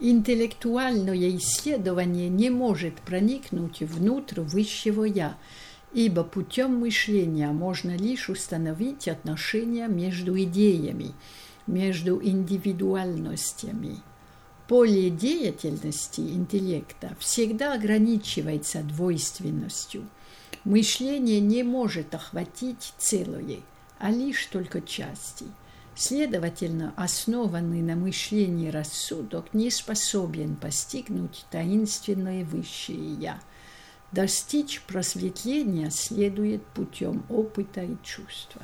Интеллектуальное исследование не может проникнуть внутрь высшего «я», ибо путем мышления можно лишь установить отношения между идеями, между индивидуальностями. Поле деятельности интеллекта всегда ограничивается двойственностью. Мышление не может охватить целое, а лишь только части. Следовательно, основанный на мышлении рассудок не способен постигнуть таинственное высшее «я». Достичь просветления следует путем опыта и чувства.